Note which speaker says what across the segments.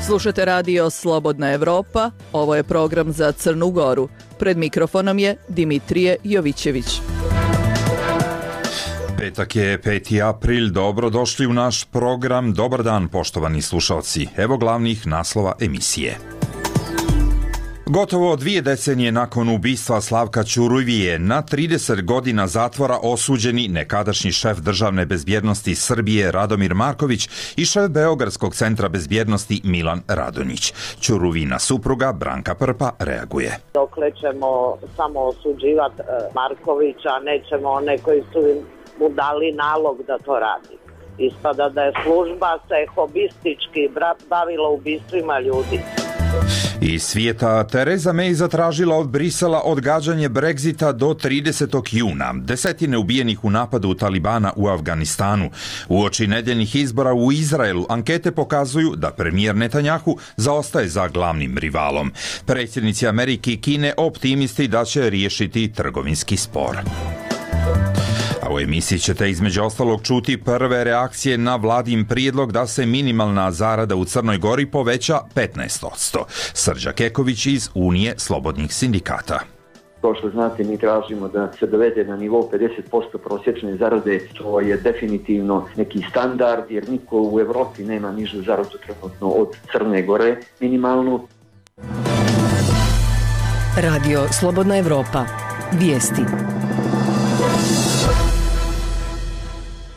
Speaker 1: Slušate radio Slobodna Evropa, ovo je program za Crnu Goru. Pred mikrofonom je Dimitrije Jovićević.
Speaker 2: Petak je 5. april, dobrodošli u naš program. Dobar dan, poštovani slušalci. Evo glavnih naslova emisije. Gotovo 2 decenije nakon ubistva Slavka Ćuruvije, na 30 godina zatvora osuđeni nekadašnji šef državne bezbjednosti Srbije Radomir Marković i šef Beogradskog centra bezbjednosti Milan Radonjić. Ćuruvina supruga Branka Prpa reaguje.
Speaker 3: Dokle ćemo samo osuđivati Markovića, nećemo one koji su mu dali nalog da to radi. Ispada da je služba se hobistički bavila ubistvima ljudi.
Speaker 2: Iz svijeta, Tereza May zatražila od Brisela odgađanje Brexita do 30. juna. Desetine ubijenih u napadu Talibana u Afganistanu. Uoči nedeljnih izbora u Izraelu ankete pokazuju da premijer Netanjahu zaostaje za glavnim rivalom. Predsjednici Amerike i Kine optimisti da će riješiti trgovinski spor. A u emisiji ćete između ostalog čuti prve reakcije na vladin prijedlog da se minimalna zarada u Crnoj Gori poveća 15%. Srđa Keković iz Unije slobodnih sindikata.
Speaker 4: Kao što znate, mi tražimo da se dovede na nivo 50% prosječne zarade, što je definitivno neki standard, jer niko u Evropi nema nižu zaradu trenutno od Crne Gore minimalnu.
Speaker 5: Radio Slobodna Evropa. Vijesti.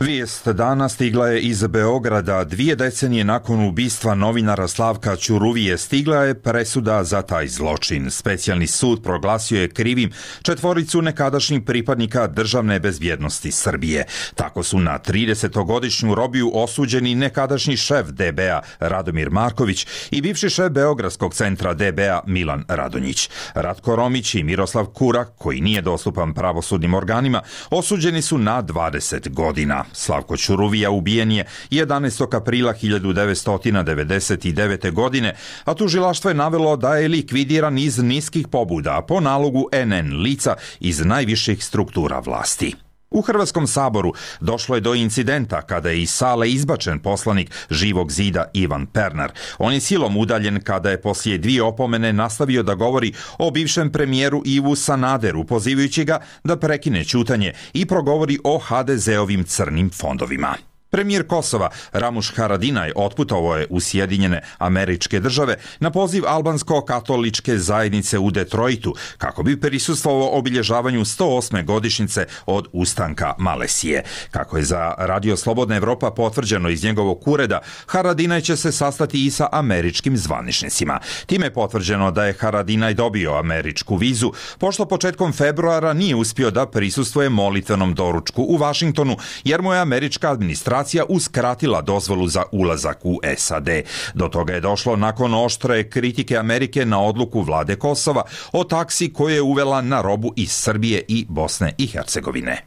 Speaker 2: Vijest dana stigla je iz Beograda. 2 decenije nakon ubistva novinara Slavka Ćuruvije stigla je presuda za taj zločin. Specijalni sud proglasio je krivim 4 nekadašnjih pripadnika državne bezbjednosti Srbije. Tako su na 30-godišnju robiju osuđeni nekadašnji šef DB-a Radomir Marković i bivši šef Beogradskog centra DB-a Milan Radonjić. Ratko Romić i Miroslav Kurak, koji nije dostupan pravosudnim organima, osuđeni su na 20 godina. Slavko Ćuruvija ubijen je 11. aprila 1999. godine, a tužilaštvo je navelo da je likvidiran iz niskih pobuda po nalogu NN lica iz najviših struktura vlasti. U Hrvatskom saboru došlo je do incidenta kada je iz sale izbačen poslanik Živog zida Ivan Pernar. On je silom udaljen kada je poslije 2 opomene nastavio da govori o bivšem premijeru Ivu Sanaderu, pozivajući ga da prekine ćutanje i progovori o HDZ-ovim crnim fondovima. Premijer Kosova Ramuš Haradinaj otputovao je u Sjedinjene Američke Države na poziv albansko-katoličke zajednice u Detroitu kako bi prisustvovao obilježavanju 108. godišnjice od ustanka Malesije. Kako je za Radio Slobodna Evropa potvrđeno iz njegovog ureda, Haradinaj će se sastati i sa američkim zvaničnicima. Time je potvrđeno da je Haradinaj dobio američku vizu, pošto početkom februara nije uspio da prisustvuje molitvenom doručku u Vašingtonu, jer mu je američka administracija uskratila dozvolu za ulazak u SAD. Do toga je došlo nakon oštre kritike Amerike na odluku vlade Kosova o taksi koju je uvela na robu iz Srbije i Bosne i Hercegovine.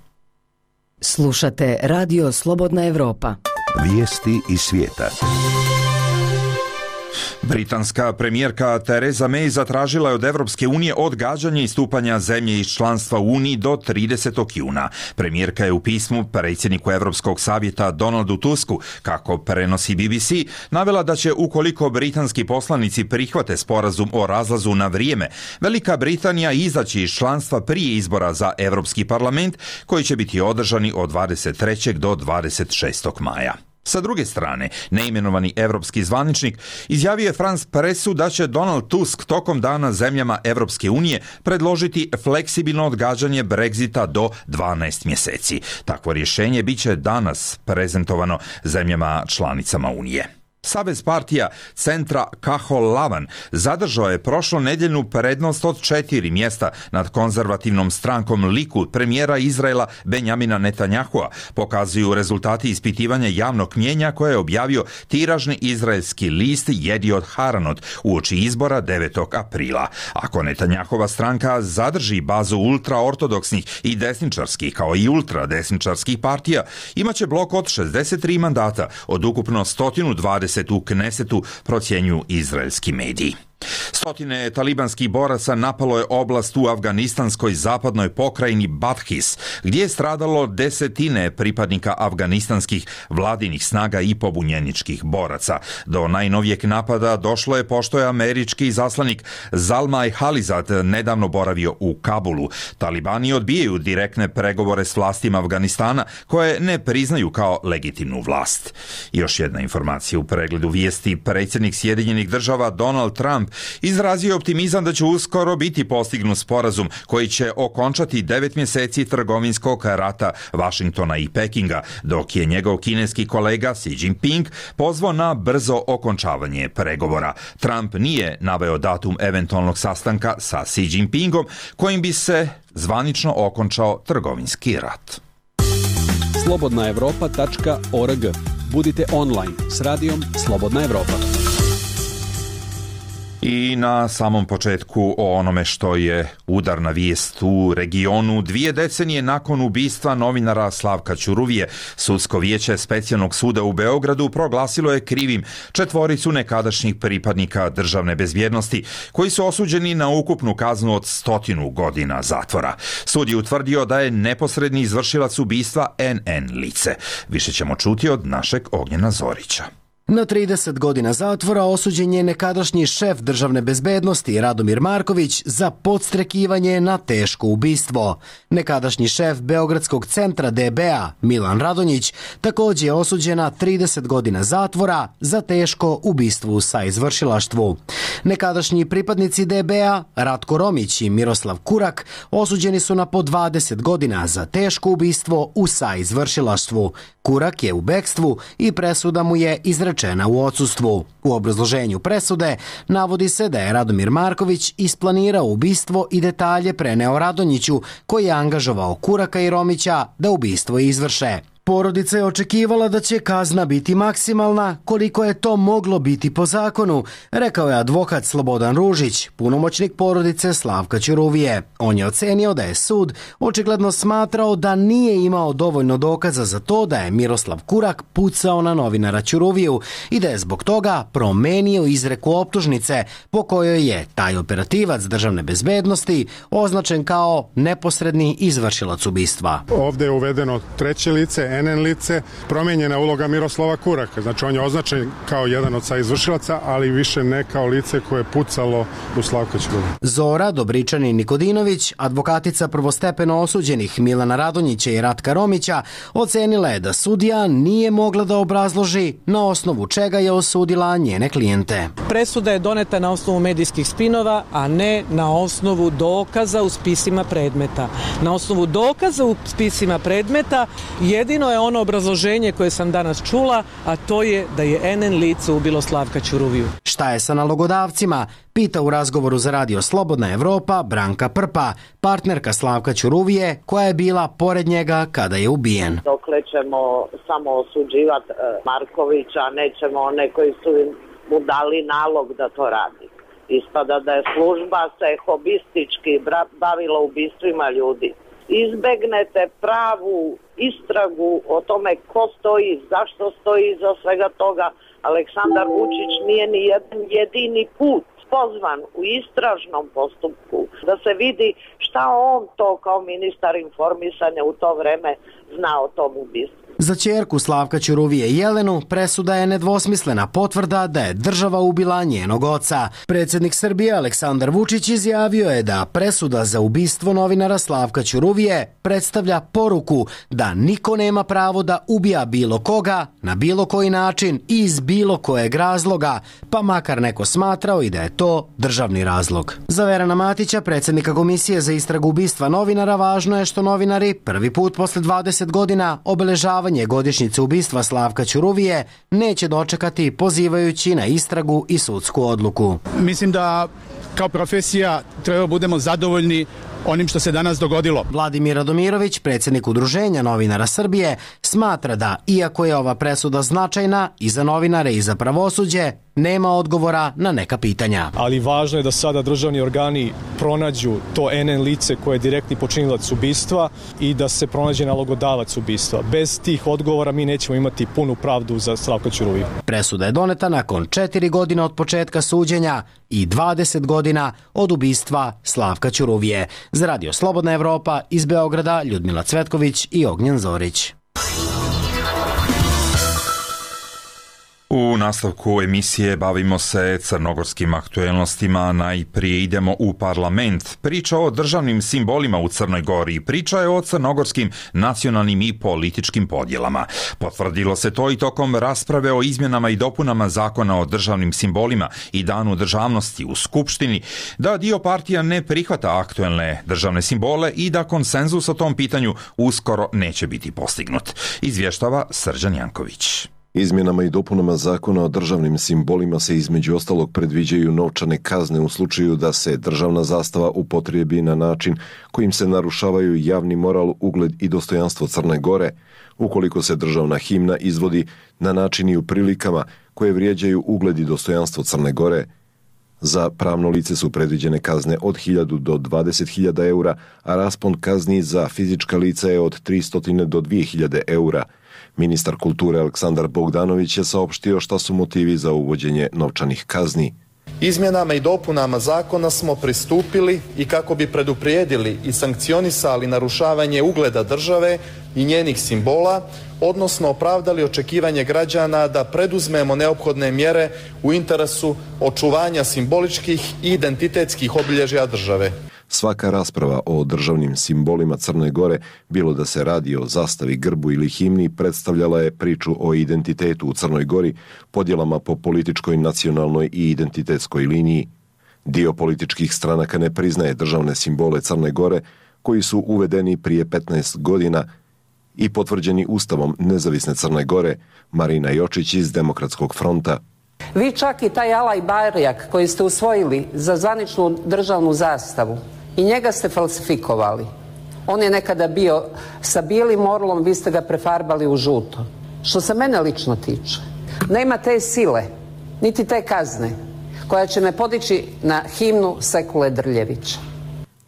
Speaker 5: Slušate Radio Slobodna Evropa.
Speaker 6: Vijesti iz svijeta.
Speaker 2: Britanska premijerka Tereza May zatražila je od Evropske unije odgađanje istupanja zemlje iz članstva u Uniji do 30. juna. Premijerka je u pismu predsjedniku Europskog savjeta Donaldu Tusku, kako prenosi BBC, navela da će ukoliko britanski poslanici prihvate sporazum o razlazu na vrijeme, Velika Britanija izaći iz članstva prije izbora za Europski parlament, koji će biti održani od 23. do 26. maja. Sa druge strane, neimenovani evropski zvaničnik izjavio je France Pressu da će Donald Tusk tokom dana zemljama Evropske unije predložiti fleksibilno odgađanje Brexita do 12 mjeseci. Takvo rješenje bit će danas prezentovano zemljama članicama Unije. Savez partija centra Kahol Lavan zadržao je prošlonedjeljnu prednost od 4 mjesta nad konzervativnom strankom Likud premijera Izraela Benjamina Netanjahua, pokazuju rezultati ispitivanja javnog mnijenja koje je objavio tiražni izraelski list Jediot Haranot uoči izbora 9. aprila. Ako Netanjahova stranka zadrži bazu ultraortodoksnih i desničarskih kao i ultradesničarskih partija, imaće blok od 63 mandata od ukupno 120 u Knesetu, procjenjuju izraelski mediji. Stotine talibanskih boraca napalo je oblast u afganistanskoj zapadnoj pokrajini Badghis, gdje je stradalo desetine pripadnika afganistanskih vladinih snaga i pobunjeničkih boraca. Do najnovijeg napada došlo je pošto je američki izaslanik Zalmay Khalilzad nedavno boravio u Kabulu. Talibani odbijaju direktne pregovore s vlastima Afganistana, koje ne priznaju kao legitimnu vlast. Još jedna informacija u pregledu vijesti. Predsjednik Sjedinjenih Država Donald Trump izrazio je optimizam da će uskoro biti postignut sporazum koji će okončati 9 mjeseci trgovinskog rata Vašingtona i Pekinga, dok je njegov kineski kolega Xi Jinping pozvao na brzo okončavanje pregovora. Trump nije naveo datum eventualnog sastanka sa Xi Jinpingom kojim bi se zvanično okončao trgovinski rat.
Speaker 7: slobodnaevropa.org. Budite online s radijom Slobodna Evropa.
Speaker 2: I na samom početku o onome što je udarna vijest u regionu. 2 decenije nakon ubistva novinara Slavka Ćuruvije, Sudsko vijeće Specijalnog suda u Beogradu proglasilo je krivim 4 nekadašnjih pripadnika državne bezbjednosti koji su osuđeni na ukupnu kaznu od 100 godina zatvora. Sud je utvrdio da je neposredni izvršilac ubistva NN lice. Više ćemo čuti od našeg Ognjena Zorića.
Speaker 8: Na 30 godina zatvora osuđen je nekadašnji šef državne bezbednosti Radomir Marković za podstrekivanje na teško ubistvo. Nekadašnji šef Beogradskog centra DB-a Milan Radonjić također je osuđen na 30 godina zatvora za teško ubistvo u saizvršilaštvu. Nekadašnji pripadnici DB-a Ratko Romić i Miroslav Kurak osuđeni su na po 20 godina za teško ubistvo u saizvršilaštvu. Kurak je u bekstvu i presuda mu je izrečena u odsustvu. U obrazloženju presude navodi se da je Radomir Marković isplanirao ubistvo i detalje preneo Radonjiću, koji je angažovao Kuraka i Romića da ubistvo izvrše. Porodica je očekivala da će kazna biti maksimalna, koliko je to moglo biti po zakonu, rekao je advokat Slobodan Ružić, punomoćnik porodice Slavka Ćuruvije. On je ocenio da je sud očigledno smatrao da nije imao dovoljno dokaza za to da je Miroslav Kurak pucao na novinara Ćuruviju i da je zbog toga promenio izreku optužnice po kojoj je taj operativac državne bezbednosti označen kao neposredni izvršilac ubistva.
Speaker 9: Ovdje je uvedeno treće lice, NN lice, promijenjena uloga Miroslava Kuraka. Znači on je označen kao jedan od saizvršilaca, ali više ne kao lice koje je pucalo u Slavka Ćuruviju.
Speaker 8: Zora Dobričanin Nikodinović, advokatica prvostepeno osuđenih Milana Radonjića i Ratka Romića, ocenila je da sudija nije mogla da obrazloži na osnovu čega je osudila njene klijente.
Speaker 10: Presuda je doneta na osnovu medijskih spinova, a ne na osnovu dokaza u spisima predmeta. Na osnovu dokaza u spisima predmeta jedino je ono obrazloženje koje sam danas čula, a to je da je NN lice ubilo Slavka Ćuruviju.
Speaker 8: Šta je sa nalogodavcima? Pita u razgovoru za Radio Slobodna Evropa Branka Prpa, partnerka Slavka Ćuruvije, koja je bila pored njega kada je ubijen.
Speaker 3: Dokle ćemo samo osuđivati Markovića, nećemo one koji su mu dali nalog da to radi. Ispada da je služba se hobistički bavila ubistvima ljudi. Izbegnete pravu istragu o tome ko stoji, zašto stoji iza svega toga. Aleksandar Vučić nije ni jedan jedini put pozvan u istražnom postupku da se vidi šta on to kao ministar informisanja u to vreme zna o tom ubistvu.
Speaker 8: Za ćerku Slavka Ćuruvije Jelenu presuda je nedvosmislena potvrda da je država ubila njenog oca. Predsjednik Srbije Aleksandar Vučić izjavio je da presuda za ubistvo novinara Slavka Ćuruvije predstavlja poruku da niko nema pravo da ubija bilo koga, na bilo koji način i iz bilo kojeg razloga, pa makar neko smatrao i da je to državni razlog. Za Verana Matića, predsjednika Komisije za istragu ubistva novinara, važno je što novinari prvi put posle 20 godina obeležavanje godišnjice ubistva Slavka Ćuruvije neće dočekati pozivajući na istragu i sudsku odluku.
Speaker 11: Mislim da kao profesija treba budemo zadovoljni onim što se danas dogodilo.
Speaker 8: Vladimir Radomirović, predsjednik Udruženja novinara Srbije, smatra da, iako je ova presuda značajna i za novinare i za pravosuđe, nema odgovora na neka pitanja.
Speaker 12: Ali važno je da sada državni organi pronađu to NN lice koje je direktni počinilac ubistva i da se pronađe nalogodavac ubistva. Bez tih odgovora mi nećemo imati punu pravdu za Slavka Ćuruviju.
Speaker 8: Presuda je doneta nakon 4 godine od početka suđenja i 20 godina od ubistva Slavka Ćuruvije. Za Radio Slobodna Evropa iz Beograda Ljudmila Cvetković i Ognjen Zorić.
Speaker 2: U nastavku emisije bavimo se crnogorskim aktuelnostima. Najprije idemo u parlament. Priča o državnim simbolima u Crnoj Gori. Priča je o crnogorskim nacionalnim i političkim podjelama. Potvrdilo se to i tokom rasprave o izmjenama i dopunama zakona o državnim simbolima i danu državnosti u Skupštini, da dio partija ne prihvata aktuelne državne simbole i da konsenzus o tom pitanju uskoro neće biti postignut. Izvještava Srđan Janković.
Speaker 13: Izmjenama i dopunama zakona o državnim simbolima se između ostalog predviđaju novčane kazne u slučaju da se državna zastava upotrijebi na način kojim se narušavaju javni moral, ugled i dostojanstvo Crne Gore, ukoliko se državna himna izvodi na način i u prilikama koje vrijeđaju ugled i dostojanstvo Crne Gore. Za pravno lice su predviđene kazne od 1000 do 20.000 eura, a raspon kazni za fizička lica je od 300 do 2000 eura. Ministar kulture Aleksandar Bogdanović je saopštio šta su motivi za uvođenje novčanih kazni.
Speaker 14: Izmjenama i dopunama zakona smo pristupili i kako bi preduprijedili i sankcionisali narušavanje ugleda države i njenih simbola, odnosno opravdali očekivanje građana da preduzmemo neophodne mjere u interesu očuvanja simboličkih i identitetskih obilježja države.
Speaker 13: Svaka rasprava o državnim simbolima Crne Gore, bilo da se radi o zastavi, grbu ili himni, predstavljala je priču o identitetu u Crnoj Gori, podjelama po političkoj, nacionalnoj i identitetskoj liniji. Dio političkih stranaka ne priznaje državne simbole Crne Gore, koji su uvedeni prije 15 godina i potvrđeni Ustavom nezavisne Crne Gore. Marina Jočić iz Demokratskog fronta.
Speaker 15: Vi čak i taj Alaj Barjak koji ste usvojili za zvaničnu državnu zastavu, i njega ste falsifikovali. On je nekada bio sa bijelim orlom, vi ste ga prefarbali u žuto. Što se mene lično tiče, nema te sile, niti te kazne, koja će me podići na himnu Sekule Drljevića.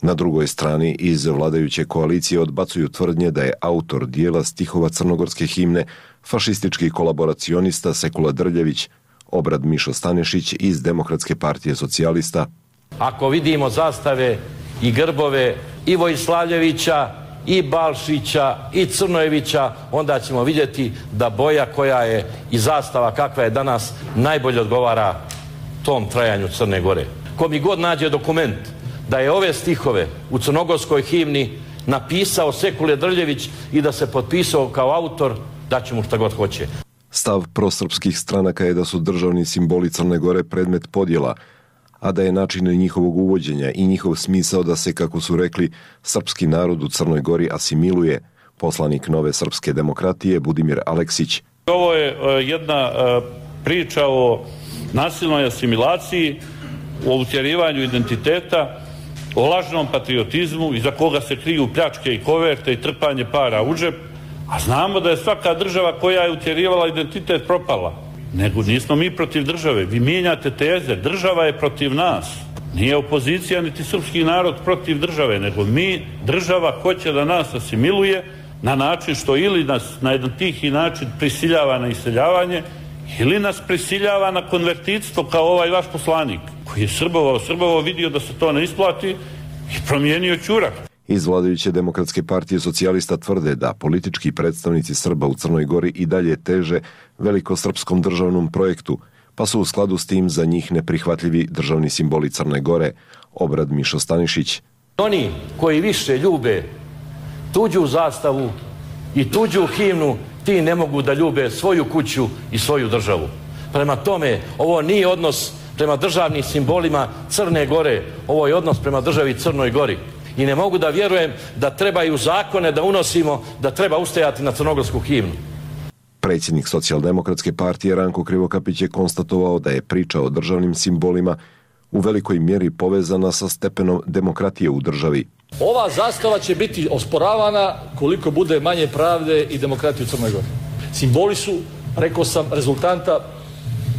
Speaker 13: Na drugoj strani iz vladajuće koalicije odbacuju tvrdnje da je autor dijela stihova crnogorske himne fašistički kolaboracionista Sekula Drljević, Obrad Mišo Stanešić iz Demokratske partije socijalista.
Speaker 16: Ako vidimo zastave i grbove i Vojslavljevića, i Balšića, i Crnojevića, onda ćemo vidjeti da boja koja je i zastava kakva je danas najbolje odgovara tom trajanju Crne Gore. Ko mi god nađe dokument da je ove stihove u crnogorskoj himni napisao Sekule Drljević i da se potpisao kao autor, daće mu šta god hoće.
Speaker 13: Stav prosrpskih stranaka je da su državni simboli Crne Gore predmet podjela, a da je način njihovog uvođenja i njihov smisao da se, kako su rekli, srpski narod u Crnoj Gori asimiluje. Poslanik Nove srpske demokratije Budimir Aleksić.
Speaker 17: Ovo je jedna priča o nasilnoj asimilaciji, o utjerivanju identiteta, o lažnom patriotizmu iza koga se kriju pljačke i koverte i trpanje para u džep, a znamo da je svaka država koja je utjerivala identitet propala. Nego nismo mi protiv države. Vi mijenjate teze. Država je protiv nas. Nije opozicija niti srpski narod protiv države, nego država hoće da nas asimiluje na način što ili nas na jedan tihi način prisiljava na iseljavanje ili nas prisiljava na konvertitstvo kao ovaj vaš poslanik koji je srbovao, vidio da se to ne isplati i promijenio ćurak.
Speaker 13: Iz vladajuće Demokratske partije socijalista tvrde da politički predstavnici Srba u Crnoj Gori i dalje teže velikosrpskom državnom projektu, pa su u skladu s tim za njih neprihvatljivi državni simboli Crne Gore. Obrad Mišo Stanišić.
Speaker 16: Oni koji više ljube tuđu zastavu i tuđu himnu, ti ne mogu da ljube svoju kuću i svoju državu. Prema tome, ovo nije odnos prema državnim simbolima Crne Gore, ovo je odnos prema državi Crnoj Gori. I ne mogu da vjerujem da trebaju zakone da unosimo, da treba ustajati na crnogorsku himnu.
Speaker 13: Predsjednik Socijaldemokratske partije Ranko Krivokapić je konstatovao da je priča o državnim simbolima u velikoj mjeri povezana sa stepenom demokratije u državi.
Speaker 11: Ova zastava će biti osporavana koliko bude manje pravde i demokratije u Crnoj Gori. Simboli su, rekao sam, rezultanta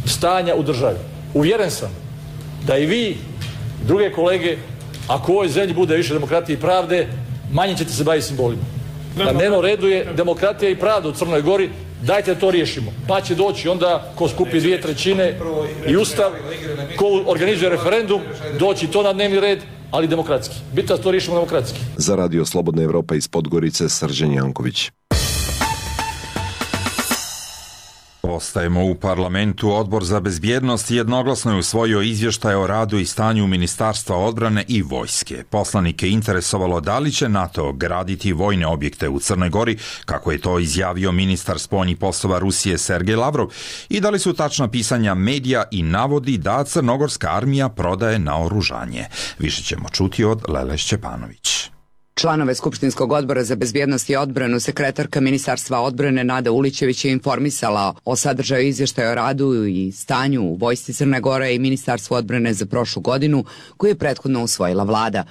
Speaker 11: stanja u državi. Uvjeren sam da i vi, druge kolege, ako u ovoj zemlji bude više demokratije i pravde, manje ćete se baviti simbolima. Na dnevnom redu je demokratija i pravda u Crnoj Gori, dajte da to riješimo. Pa će doći onda ko skupi 2/3 i Ustav, ko organizuje referendum, doći to na dnevni red, ali demokratski. Bitno da to riješimo demokratski.
Speaker 13: Za Radio Slobodna Evropa iz Podgorice, Srđan Janković.
Speaker 2: Ostajemo u parlamentu. Odbor za bezbjednost jednoglasno je usvojio izvještaj o radu i stanju Ministarstva odbrane i vojske. Poslanike interesovalo da li će NATO graditi vojne objekte u Crnoj Gori, kako je to izjavio ministar spoljnih poslova Rusije Sergej Lavrov, i da li su tačna pisanja medija i navodi da crnogorska armija prodaje naoružanje. Više ćemo čuti od Lele Šćepanović.
Speaker 18: Članove Skupštinskog odbora za bezbjednost i odbranu sekretarka Ministarstva odbrane Nada Ulićević je informisala o sadržaju izvještaja o radu i stanju u vojsci Crne Gore i Ministarstvu odbrane za prošlu godinu, koju je prethodno usvojila vlada.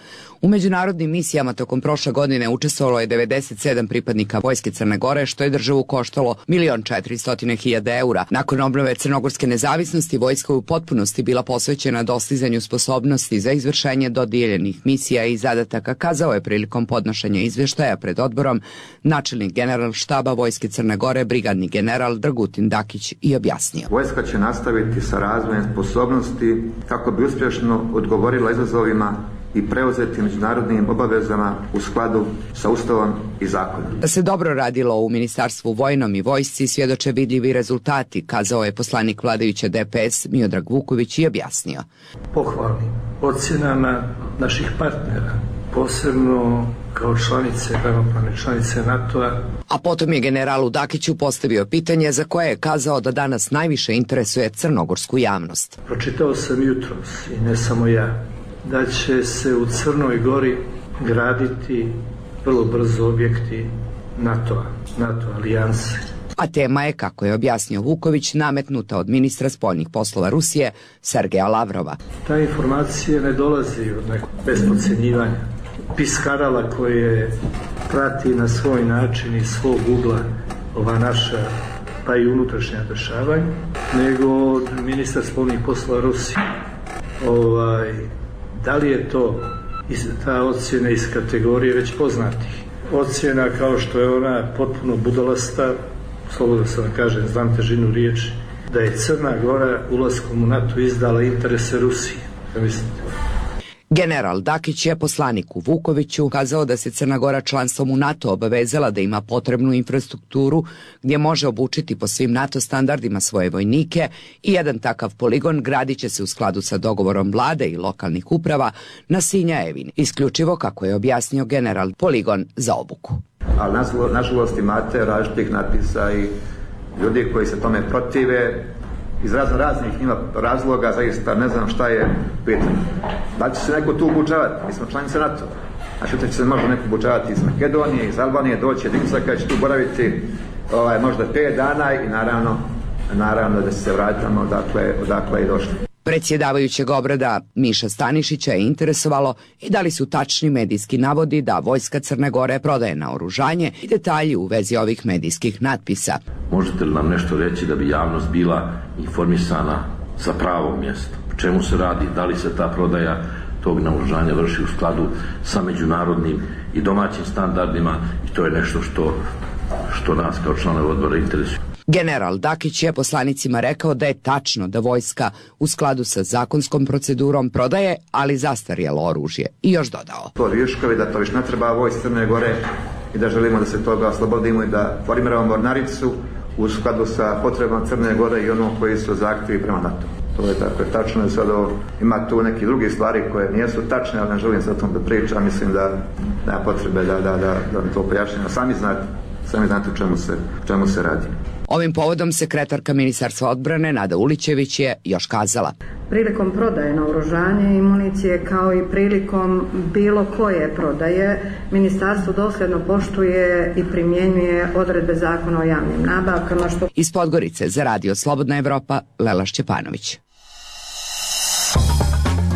Speaker 18: U međunarodnim misijama tokom prošle godine učestvovalo je 97 pripadnika vojske Crne Gore, što je državu koštalo 1.400.000 eura. Nakon obnove crnogorske nezavisnosti, vojska je u potpunosti bila posvećena dostizanju sposobnosti za izvršenje dodijeljenih misija i zadataka, kazao je prilikom podnošenja izvještaja pred odborom načelnik general štaba vojske Crne Gore, brigadni general Dragutin Dakić, i objasnio.
Speaker 19: Vojska će nastaviti sa razvojem sposobnosti kako bi uspješno odgovorila izazovima i preuzeti međunarodnim obavezama u skladu sa Ustavom i zakonom.
Speaker 18: Da se dobro radilo u Ministarstvu vojnom i vojsci svjedoče vidljivi rezultati, kazao je poslanik vladajuće DPS Miodrag Vuković i objasnio.
Speaker 20: Pohvalnim ocjenama naših partnera, posebno kao članice, ravnopravne članice NATO-a.
Speaker 18: A potom je generalu Dakiću postavio pitanje za koje je kazao da danas najviše interesuje crnogorsku javnost.
Speaker 20: Pročitao sam jutros, i ne samo ja, da će se u Crnoj Gori graditi vrlo brzo objekti NATO alijanse.
Speaker 18: A tema je, kako je objasnio Vuković, nametnuta od ministra spoljnih poslova Rusije Sergeja Lavrova.
Speaker 20: Ta informacija ne dolazi od nekog bez podcjenjivanja piskarala koje prati na svoj način iz svog ugla ova naša pa i unutrašnja dešavanja, nego od ministra spoljnih poslova Rusije. Da li je to ta ocjena iz kategorije već poznatih? Ocjena kao što je ona potpuno budalasta, slobodno se vam kažem, znam težinu riječi, da je Crna Gora ulaskom u NATO izdala interese Rusije. Ja mislite?
Speaker 18: General Dakić je poslaniku Vukoviću kazao da se Crna Gora članstvom u NATO obavezala da ima potrebnu infrastrukturu gdje može obučiti po svim NATO standardima svoje vojnike i jedan takav poligon gradit će se u skladu sa dogovorom vlade i lokalnih uprava na Sinjajevini, isključivo, kako je objasnio general, poligon za obuku.
Speaker 19: Ali nažalost imate različitih natpisa i ljudi koji se tome protive iz raznih ima razloga, zaista ne znam šta je pitanje. Da će se neko tu obučavati? Mi smo članice NATO. Znači da će se možda neko obučavati iz Makedonije, iz Albanije, doći Dicaka će tu boraviti možda 5 dana i naravno da se vratimo odakle i došli.
Speaker 18: Predsjedavajućeg obrada Miša Stanišića je interesovalo i da li su tačni medijski navodi da vojska Crne Gore prodaje naoružanje i detalji u vezi ovih medijskih natpisa.
Speaker 21: Možete li nam nešto reći da bi javnost bila informisana sa pravog mjesta? O čemu se radi? Da li se ta prodaja tog naoružanja vrši u skladu sa međunarodnim i domaćim standardima, i to je nešto što nas kao članove odbora interesuje.
Speaker 18: General Dakić je poslanicima rekao da je tačno da vojska u skladu sa zakonskom procedurom prodaje, ali zastarjelo oružje, i još dodao.
Speaker 19: To viškovi, da to više ne treba vojsci Crne Gore i da želimo da se toga oslobodimo i da formiramo mornaricu u skladu sa potrebama Crne Gore i ono koji su zahtjevi prema NATO. To je tako tačno i sad ima tu neki drugi stvari koje nisu tačne, ali ne želim sad o tom da pričam, mislim da nema potrebe da to pojašnjamo. Sami znate o čemu se radi.
Speaker 18: Ovim povodom sekretarka Ministarstva odbrane Nada Ulićević je još kazala.
Speaker 22: Prilikom prodaje naoružanja i municije, kao i prilikom bilo koje prodaje, Ministarstvo dosljedno poštuje i primjenjuje odredbe Zakona o javnim nabavkama.
Speaker 18: Iz Podgorice za Radio Slobodna Evropa, Lela Šćepanović.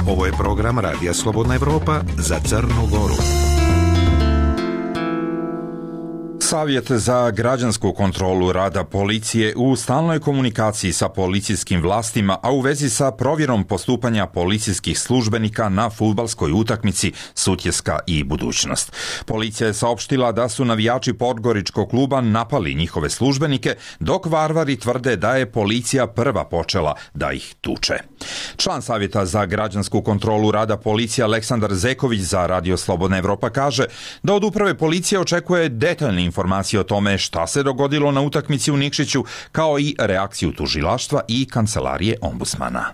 Speaker 6: Ovo je program Radija Slobodna Evropa za Crnu Goru.
Speaker 2: Savjet za građansku kontrolu rada policije u stalnoj komunikaciji sa policijskim vlastima, a u vezi sa provjerom postupanja policijskih službenika na fudbalskoj utakmici Sutjeska i Budućnost. Policija je saopštila da su navijači Podgoričkog kluba napali njihove službenike, dok Varvari tvrde da je policija prva počela da ih tuče. Član Savjeta za građansku kontrolu rada policije Aleksandar Zeković za Radio Slobodna Evropa kaže da od uprave policije očekuje detaljne informacije o tome šta se dogodilo na utakmici u Nikšiću, kao i reakciju tužilaštva i kancelarije ombudsmana.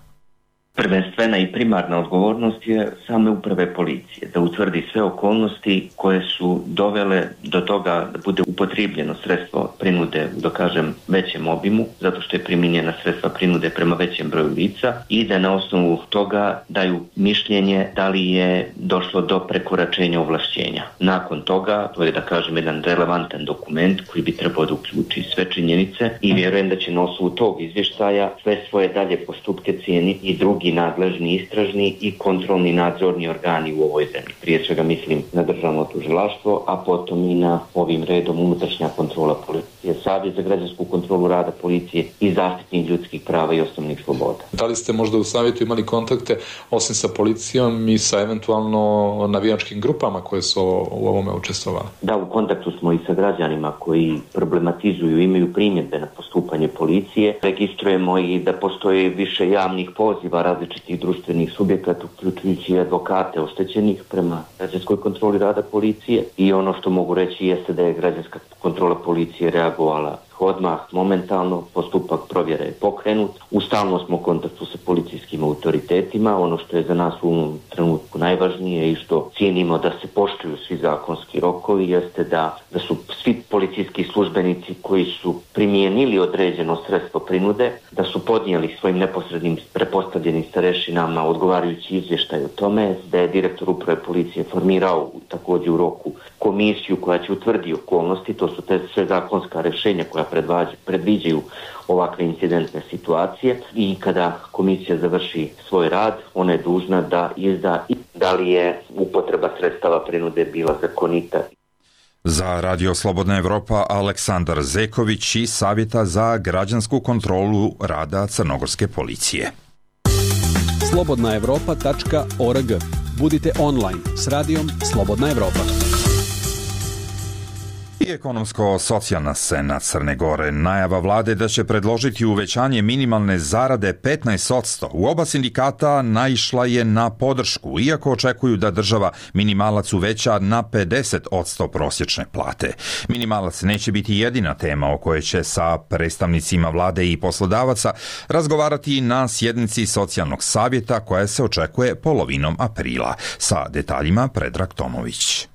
Speaker 1: Prvenstvena i primarna odgovornost je same uprave policije, da utvrdi sve okolnosti koje su dovele do toga da bude upotrijebljeno sredstvo prinude u, da kažem, većem obimu, zato što je primijenjena sredstva prinude prema većem broju lica, i da na osnovu toga daju mišljenje da li je došlo do prekoračenja ovlašćenja. Nakon toga, to je, da kažem, jedan relevantan dokument koji bi trebao da uključi sve činjenice, i vjerujem da će na osnovu tog izvještaja sve svoje dalje postupke cijeniti i drugi nadležni istražni i kontrolni nadzorni organi u ovoj zemlji. Prije svega mislim na državno tužilaštvo, a potom i na ovim redom unutrašnja kontrola policije, Savjet za građansku kontrolu rada policije i zaštitnik ljudskih prava i osnovnih sloboda.
Speaker 4: Da li ste možda u savjetu imali kontakte osim sa policijom i sa eventualno navijačkim grupama koje su u ovome učestvovali?
Speaker 1: Da, u kontaktu smo i sa građanima koji problematizuju, imaju primjedbe na postupanje policije. Registrujemo i da postoje više javnih poziva različitih društvenih subjekata, uključujući i advokate oštećenih prema građanskoj kontroli rada policije, i ono što mogu reći jeste da je građanska kontrola policije reagovala odmah, momentalno, postupak provjere je pokrenut. U stalnom smo kontaktu sa policijskim autoritetima. Ono što je za nas u ovom trenutku najvažnije i što cijenimo da se poštuju svi zakonski rokovi jeste da su svi policijski službenici koji su primijenili određeno sredstvo prinude, da su podnijeli svojim neposrednim prepostavljenim starešinama odgovarajući izvještaj o tome, da je direktor uprave policije formirao također u roku komisiju koja će utvrditi okolnosti. To su te sve zakonska rješenja koja predviđaju ovakve incidentne situacije, i kada komisija završi svoj rad, ona je dužna da izda da li je upotreba sredstava prinude bila zakonita.
Speaker 2: Za Radio Slobodna Evropa Aleksandar Zeković iz Savjeta za građansku kontrolu rada crnogorske policije.
Speaker 7: slobodnaevropa.org. Budite online s radijom Slobodna Evropa.
Speaker 2: I ekonomsko-socijalna scena Crne Gore. Najava vlade da će predložiti uvećanje minimalne zarade 15%. U oba sindikata naišla je na podršku, iako očekuju da država minimalac uveća na 50% prosječne plate. Minimalac neće biti jedina tema o kojoj će sa predstavnicima vlade i poslodavaca razgovarati na sjednici socijalnog savjeta koja se očekuje polovinom aprila. Sa detaljima Predrag Tomović.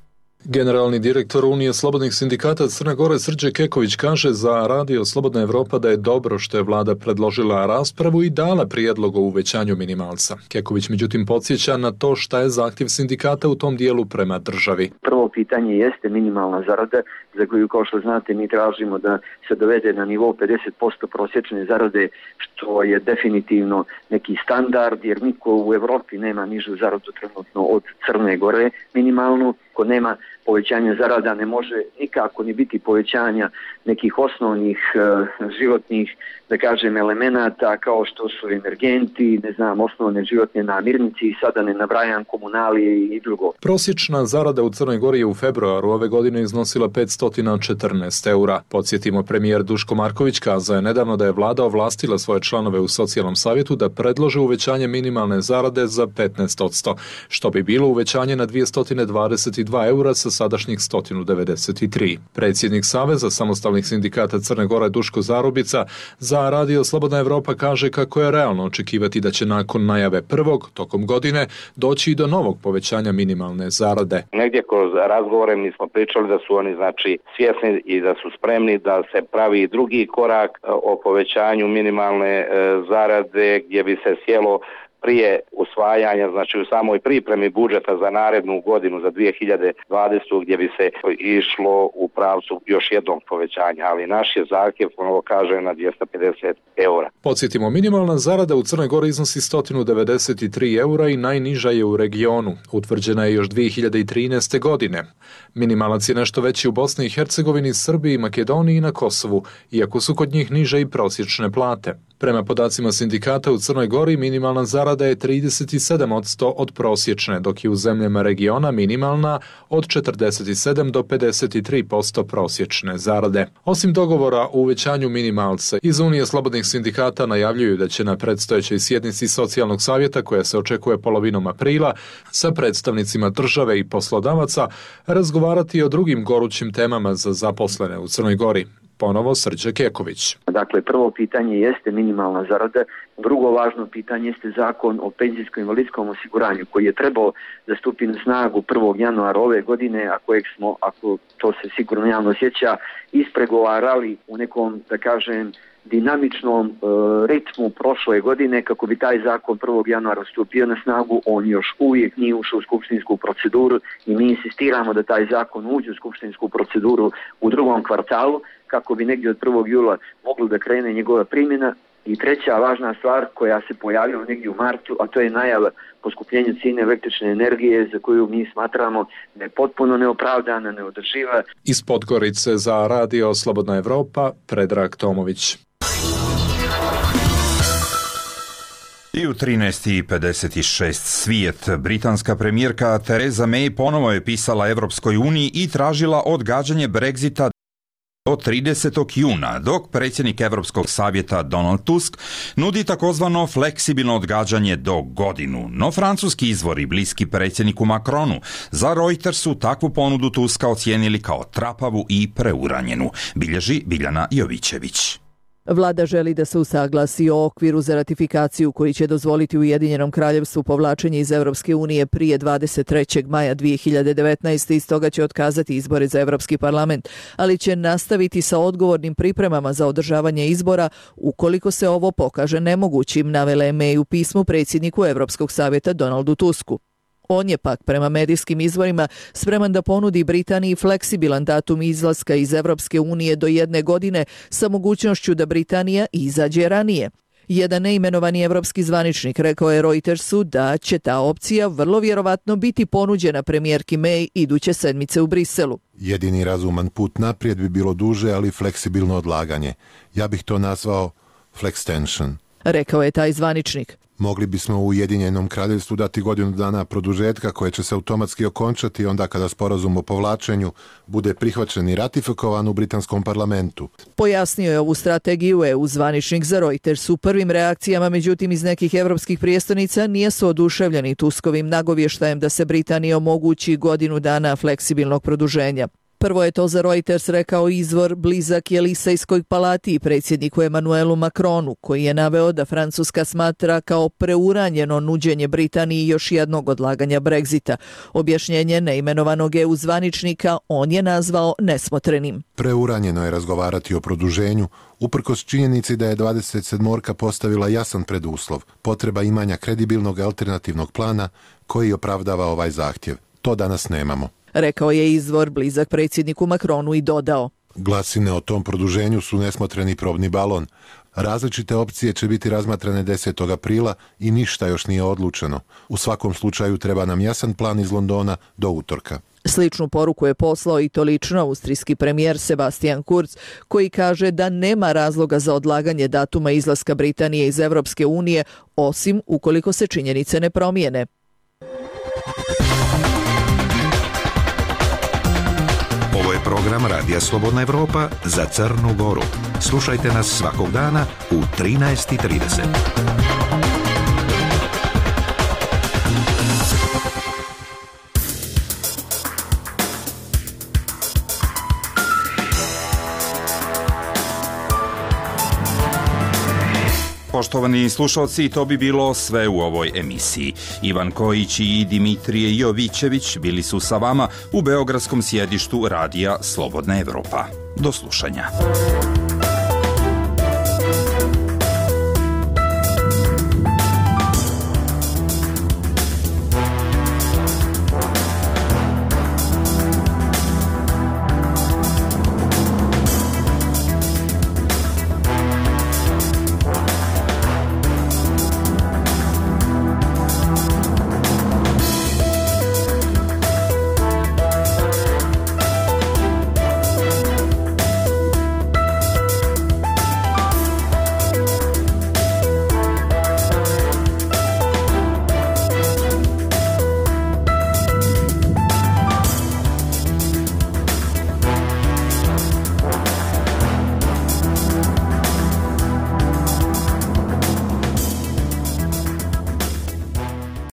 Speaker 12: Generalni direktor Unije slobodnih sindikata Crne Gore Srđe Keković kaže za Radio Slobodna Evropa da je dobro što je vlada predložila raspravu i dala prijedlog o uvećanju minimalca. Keković međutim podsjeća na to šta je zahtjev sindikata u tom dijelu prema državi.
Speaker 23: Prvo pitanje jeste minimalna zarada, za koju, kao što znate, mi tražimo da se dovede na nivo 50% prosječne zarade, što je definitivno neki standard, jer niko u Evropi nema nižu zaradu trenutno od Crne Gore minimalnu. Ko nema povećanja zarada ne može nikako ni biti povećanja nekih osnovnih životnih, da kažem, elemenata kao što su energenti, osnovne životne namirnice i sada ne nabrajam komunalije i drugo.
Speaker 12: Prosječna zarada u Crnoj Gori je u februaru ove godine iznosila 514 eura. Podsjetimo, premijer Duško Marković kazao je nedavno da je vlada ovlastila svoje članove u socijalnom savjetu da predlože uvećanje minimalne zarade za 15%, što bi bilo uvećanje na 222 eura sa sadašnjih 193. Predsjednik Saveza samostalnih sindikata Crne Gore Duško Zarubica za Radio Slobodna Evropa kaže kako je realno očekivati da će nakon najave prvog tokom godine doći i do novog povećanja minimalne zarade.
Speaker 24: Negdje kroz razgovore mi smo pričali da su oni svjesni i da su spremni da se pravi drugi korak o povećanju minimalne zarade gdje bi se sjelo prije u usvajanja, znači u samoj pripremi budžeta za narednu godinu, za 2020. gdje bi se išlo u pravcu još jednog povećanja, ali naš je zahtjev, ponovo kažem, na 250 eura.
Speaker 4: Podsjetimo, minimalna zarada u Crnoj Gori iznosi 193 eura i najniža je u regionu. Utvrđena je još 2013. godine. Minimalac je nešto veći u Bosni i Hercegovini, Srbiji, Makedoniji i na Kosovu, iako su kod njih niže i prosječne plate. Prema podacima sindikata u Crnoj Gori, minimalna zarada je 37% od prosječne, dok je u zemljama regiona minimalna od 47 do 53% prosječne zarade. Osim dogovora o uvećanju minimalca, iz Unije slobodnih sindikata najavljuju da će na predstojećoj sjednici Socijalnog savjeta, koja se očekuje polovinom aprila, sa predstavnicima države i poslodavaca razgovarati o drugim gorućim temama za zaposlene u Crnoj Gori. Ponovo Srđe Keković.
Speaker 23: Dakle, prvo pitanje jeste minimalna zarada, drugo važno pitanje jeste zakon o penzijsko-invalidskom osiguranju koji je trebao da stupi na snagu 1. januara ove godine, a kojeg smo, ako to se sigurno javno sjeća, ispregovarali u nekom, da kažem, dinamičnom ritmu prošle godine kako bi taj zakon 1. januara stupio na snagu. On još uvijek nije ušao u skupštinsku proceduru i mi insistiramo da taj zakon uđe u skupštinsku proceduru u drugom kvartalu kako bi negdje od 1. jula moglo da krene njegova primjena. I treća važna stvar koja se pojavila negdje u martu, a to je najava poskupljenja cijene električne energije za koju mi smatramo da je potpuno neopravdana, neodrživa.
Speaker 4: Iz Podgorice za Radio Slobodna Evropa, Predrag Tomović.
Speaker 2: I u 13:56 svijet. Britanska premijerka Theresa May ponovo je pisala Evropskoj uniji i tražila odgađanje Brexita do 30. juna, dok predsjednik Europskog savjeta Donald Tusk nudi takozvano fleksibilno odgađanje do godinu. No francuski izvori bliski predsjedniku Macronu za Reutersu takvu ponudu Tuska ocijenili kao trapavu i preuranjenu, bilježi Biljana Jovićević.
Speaker 3: Vlada želi da se usaglasi o okviru za ratifikaciju koji će dozvoliti Ujedinjenom kraljevstvu povlačenje iz Europske unije prije 23. maja 2019. i stoga će otkazati izbore za Europski parlament, ali će nastaviti sa odgovornim pripremama za održavanje izbora ukoliko se ovo pokaže nemogućim, navela je May u pismu predsjedniku Europskog savjeta Donaldu Tusku. On je pak prema medijskim izvorima spreman da ponudi Britaniji fleksibilan datum izlaska iz Evropske unije do 1 godine sa mogućnošću da Britanija izađe ranije. Jedan neimenovani evropski zvaničnik rekao je Reutersu da će ta opcija vrlo vjerovatno biti ponuđena premijerki May iduće sedmice u Briselu.
Speaker 5: Jedini razuman put naprijed bi bilo duže, ali fleksibilno odlaganje. Ja bih to nazvao flextension,
Speaker 3: rekao je taj zvaničnik.
Speaker 5: Mogli bismo u Ujedinjenom kraljevstvu dati godinu dana produžetka koje će se automatski okončati onda kada sporazum o povlačenju bude prihvaćen i ratifikovan u britanskom parlamentu.
Speaker 3: Pojasnio je ovu strategiju EU zvaničnik za Reuters. U prvim reakcijama, međutim, iz nekih evropskih prijestolnica nisu oduševljeni Tuskovim nagovještajem da se Britaniji omogući godinu dana fleksibilnog produženja. Prvo je to za Reuters rekao izvor blizak Elisejskoj palati i predsjedniku Emmanuelu Macronu, koji je naveo da Francuska smatra kao preuranjeno nuđenje Britaniji još jednog odlaganja Brexita. Objašnjenje neimenovanog EU zvaničnika on je nazvao nesmotrenim.
Speaker 5: Preuranjeno je razgovarati o produženju, uprkos činjenici da je 27. postavila jasan preduslov, potreba imanja kredibilnog alternativnog plana koji opravdava ovaj zahtjev. To danas nemamo,
Speaker 3: rekao je izvor blizak predsjedniku Macronu i dodao.
Speaker 5: Glasine o tom produženju su nesmotreni probni balon. Različite opcije će biti razmatrane 10. aprila i ništa još nije odlučeno. U svakom slučaju treba nam jasan plan iz Londona do utorka.
Speaker 3: Sličnu poruku je poslao i to lično austrijski premijer Sebastian Kurz, koji kaže da nema razloga za odlaganje datuma izlaska Britanije iz Evropske unije, osim ukoliko se činjenice ne promijene.
Speaker 6: Ovo je program Radija Slobodna Evropa za Crnu Goru. Slušajte nas svakog dana u 13:30.
Speaker 2: Poštovani slušalci, to bi bilo sve u ovoj emisiji. Ivan Kojić i Dimitrije Jovićević bili su sa vama u beogradskom sjedištu Radija Slobodna Evropa. Do slušanja.